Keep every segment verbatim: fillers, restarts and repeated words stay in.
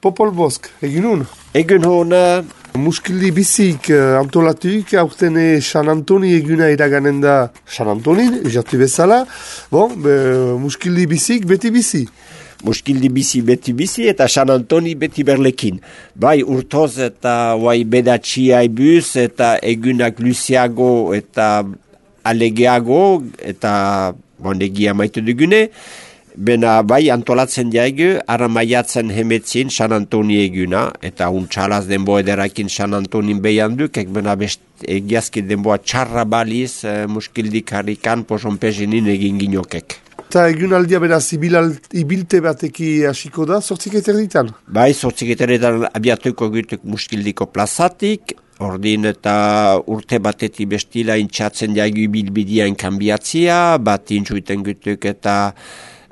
Popol Bosk, egin hon? Egun hon... Muskildi bizik uh, antolatuik, aurten San Antoni eguna iraganen da San Antonin, jatu bezala. Bon, be, muskildi bizik beti bizi. Muskildi bizi beti bizi eta San Antoni beti berlekin. Bai urtoz eta bai bedatxia ibuz eta egunak luziago eta alegeago eta bon, egia maitu dugune. Bena bai antolatzen jaigu, ara maiatzen hemetzin San Antoni eguna, eta untxalaz denbo ederakin San Antonin behan duk, ek bena best egiazki denboa txarra baliz, e, muskildik harrikan poson pezinin egin ginokek. Eta egun aldia beraz ibilte bateki hasiko da, sortzik eterditan? Bai, sortzik eterditan abiatuko gutuk muskildiko plazatik, ordin eta urte batetik bestila intxatzen jaigu ibilbidian kanbiatzia, bat intxuiten gutuk eta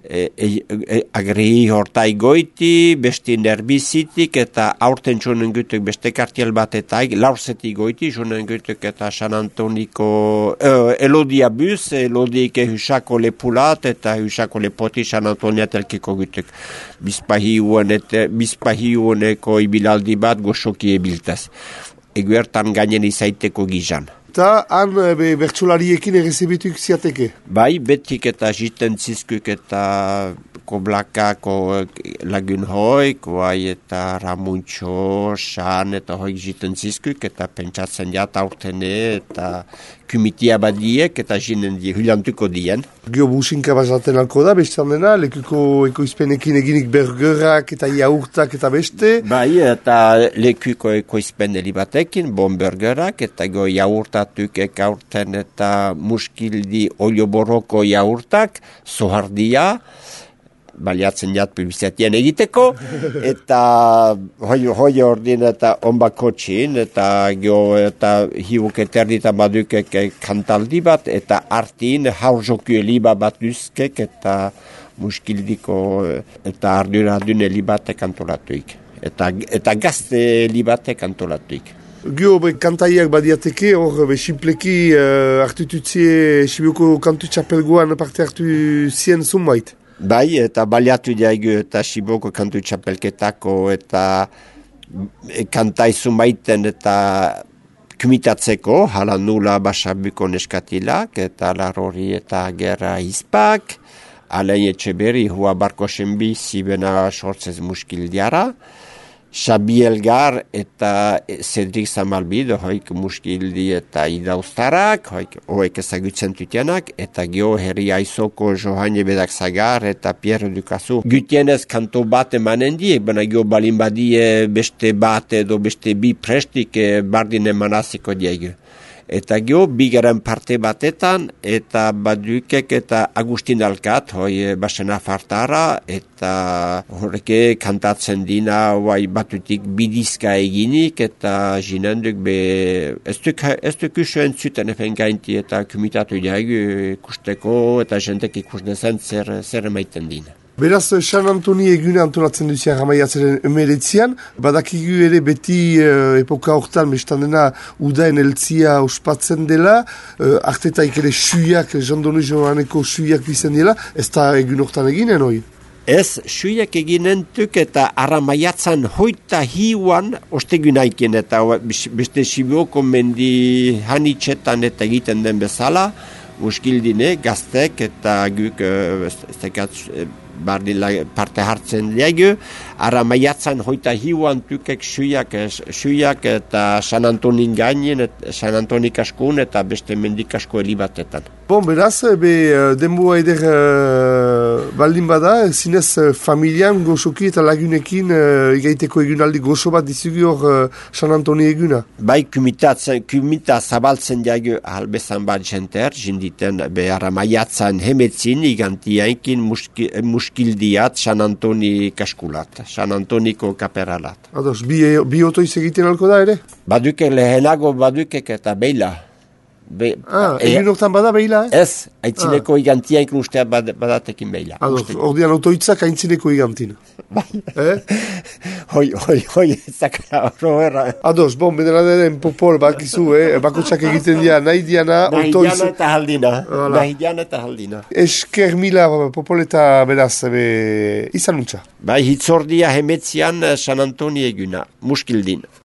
E, e, e, agri hortai goiti, besti nerbizitik eta aurten txunen gutuk beste kartiel bat eta laurzetik goiti, txunen gutuk eta San Antoniko e, elodia buz, elodike husako lepulat eta husako lepoti San Antonia telkiko gutuk. Bizpahi uoneko ibilaldi bat goxoki ebiltaz. Eguertan gainen izaiteko gizan. Eta han be, bertsolariekin errezibituk ziateke? Bai, betik eta jiten zizkuk eta koblakako lagun hoik, bai eta ramuntxo, san eta hoik jiten zizkuk eta pentsatzen jat aurtene eta kumitia badiek eta jinen die, hulantuko dien. Gio businka bazaten alko da, bestean dena, lekuko ekoizpenekin eginik burgerak eta jaurtak eta beste? Bai, eta lekuko ekoizpen elibatekin, bon burgerak eta go jaurtatuk ekaurten eta muskildi olioboroko jaurtak, zohardia, baliatzen jat publizatien egiteko, eta hoi, hoi ordin eta onbako txin, eta gio eta hiuk eterdita badukek kantaldi bat, eta artin haurzoku eliba bat duzkek, eta muskildiko eta ardura dune elibatek antolatuik. Eta, eta gazte elibatek antolatuik. Gio be, kantaiak badiateke, hor be, simpleki uh, hartututzie Sibioko kantu txapelgoan parte hartu zien zunbait. Bai, eta baliatu jaigu eta Siboko kantu txapelketako eta kantai zumaiten eta kumitatzeko, hala nula basabuko neskatilak, eta larori eta gerra izpak, alain etxeberi hua barko senbi zibena sortzez muskildiara, Xabi Elgar eta Cedric Zamalbido, hoik muskildi eta idaustarak, hoik hoek ezagutzen tutenak, eta gio herri aizoko Johane Bedak Zagar eta Pierre Ducasu. Gutienez kanto bat emanen die, baina gio balin badie beste bat edo beste bi prestik bardin emanaziko diegu. Eta gio, bigaren parte batetan, eta badukek eta Agustin Alkat, hoi basena fartara, eta horreke kantatzen dina, bai batutik bidizka eginik, eta jinenduk be, ez duk usuen zuten efen gainti, eta kumitatu jaigu ikusteko, eta jentek ikusten zer, zer emaiten dina. Beraz, San Antoni egune antolatzen duzian ramaiatzaren emeretzian, badakigu ere beti uh, epoka hortan, bestan dena udaen eltzia ospatzen dela, uh, artetaik ere suiak, jandonu joaneko suiak bizen dela, ez da egun hortan eginen hoi? Ez, suiak eginen tuk eta aramaiatzan hoita hiuan ostegunaikin eta beste Sibioko mendi hanitxetan eta egiten den bezala, muskildine, gaztek eta guk, ez tekat, bardin parte hartzen diegu, ara maiatzan hoita hiuan tukek suiak, suiak eta San Antonin gainen, San Antonik askun eta beste mendik asko elibatetan. Bon, beraz, be, denboa eder uh, baldin bada, zinez uh, familian gozoki eta lagunekin uh, igaiteko egunaldi gozo bat dizugu hor uh, San Antoni eguna. Bai, kumita zabaltzen diegu halbezan bat jenter, jinditen behar maiatzan hemetzin igantiainkin muski, muskildiat San Antoni kaskulat, San Antoniko kaperalat. Ados, bi, bi otoiz egiten alko da ere? Baduke lehenago badukek eta beila. Be, ah, egin hortan bada behila, eh? Ez, aitzineko ah. igantiain ustea bad, badatekin behila. Ados, ordean autoitzak aitzineko igantin. Bai. Eh? hoi, hoi, hoi, ezakara horro erra. Ados, bon, bedera den popol, bakizu, eh? Bakotsak egiten dira, nahi diana, nahi otoiz... diana eta haldina, Voilà. nahi diana eta haldina. Esker mila popol eta beraz, be, izan nuntza. Bai, hitzordia hemetzian San Antoni eguna, muskildin.